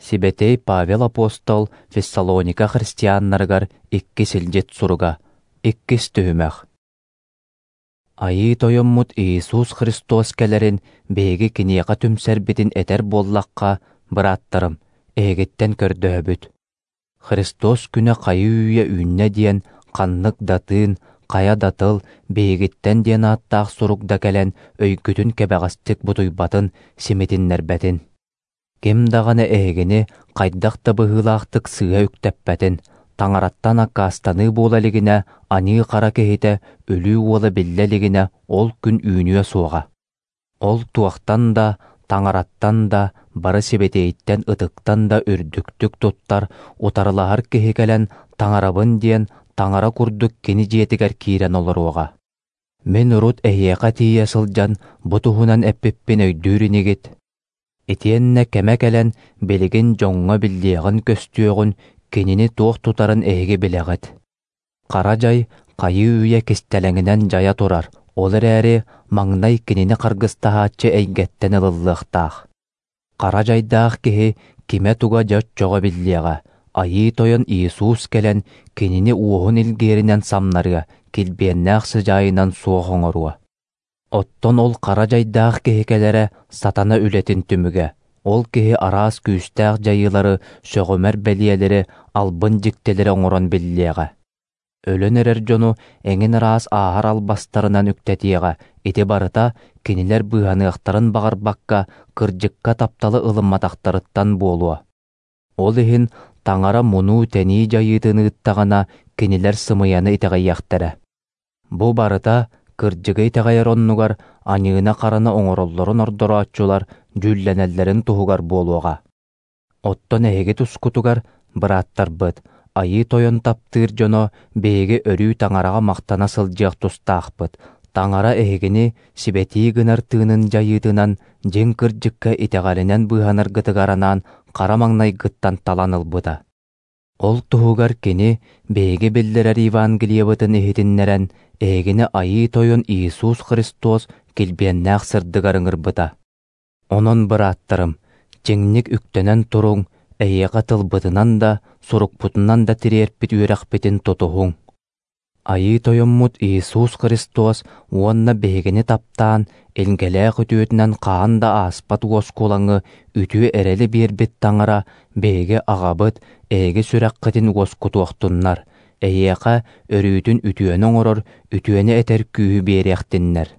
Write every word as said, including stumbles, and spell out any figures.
Сибэтиэй Павел апостол Фессалоника христианнарыгар икки силдьит суруга. Иккис түһүмэх. Айыы Тойоммут Иисус Христос кэлэрин биһиги киниэхэ түмсэрбитин этэр буоллахха, бырааттарым, эһигиттэн көрдөһөбүт. Христос күнэ хайыы-үйэ үүннэ диэн ханнык да тыын, хайа да тыл, биһигиттэн диэн ааттаах сурук да кэлэн өйгүтүн кэбэҕэстик бутуйбатын, симитиннэрбэтин. Ким даҕаны эһигини хайдах да быһыылаахтык сыыһа үктэппэтин, таҥараттан аккаастаныы буола илигинэ, аньыы-хара киһитэ, өлүү уола биллэ илигинэ ол күн үүнүө суоҕа. Ол туохтан да, таҥараттан да, бары сибэтиэйтэн ытыктан да үрдүктүк туттар, утарылаһар киһи кэлэн таҥарабын диэн таҥара курдук кини дьиэтигэр киирэн олоруоҕа. Мин урут эһиэхэ тиийэ сылдьан бу туһунан эппиппин өйдүүр инигит. Итиэннэ кэмэ кэлэн билигин дьоҥҥо биллиэҕин-көстүөҕүн, кинини туох тутарын эһиги билэҕит. Хара дьай хайыы-үйэ кистэлэҥинэн дьайа турар, ол эрээри маҥнай кинини харгыстаһааччы эйгэттэн ылыллыахтаах. Хара дьайдаах киһи кимэ-туга дьэ оччоҕо биллиэҕэ, Айыы Тойон Иисус кэлэн кинини уоһун илгиэринэн самнарыа, килбиэннээх сыдьаайынан суох оҥоруо. Оттон ол хара дьайдаах киһи кэлэрэ сатана үлэтин түмүгэ. Ол киһи араас күүстээх дьайыылары, сөҕүмэр бэлиэлэри, албын дьиктилэри оҥорон биллиэҕэ. Өлөн эрэр дьону эҥин араас ааһар албастарынан үктэтиэҕэ, ити барыта кинилэр быыһаныахтарын баҕарбакка, кырдьыкка тапталы ылымматахтарыттан буолуо. Ол иһин таҥара мунуу-тэнии дьайыытын ыыттаҕына, кинилэр сымыйаны итэҕэйиэхтэрэ. Бу барыта кырдьыгы итэҕэйэр оннугар аньыыны-хараны оҥороллорун ордорооччулар дьүүллэнэллэрин туһугар буолуоҕа. Оттон эһиги тускутугар, бырааттарбыт, Айыы Тойон таптыыр дьоно биһиги өрүү таҥараҕа махтана сылдьыах тустаахпыт. Таҥара эһигини сибэтии гынар тыынын дьайыытынан дьиҥ кырдьыкка итэҕэлинэн быыһанаргытыгар анаан хара маҥнайгыттан талан ылбыта. Ол туһугар кини биһиги биллэрэр Евангелиебытын иһитиннэрэн, эһигини Айыы Тойон Иисус Христос килбиэннээх сырдыгар ыҥырбыта. Онон, бырааттарым, чиҥник үктэнэн туруҥ, эһиэхэ тылбытынан да, сурукпутунан да тириэрпит үөрэхпитин тутуһуҥ. Айыы Тойоммут Иисус Христос уонна биһигини таптаан, илгэлээх үтүөтүнэн хаһан да ааспат уоскулаҥы үтүө эрэли биэрбит таҥара биһиги аҕабыт, эһиги сүрэххитин уоскутуохтуннар, эһиэхэ өрүүтүн үтүөнү оҥорор, үтүөнү этэр күүһү биэриэхтиннэр.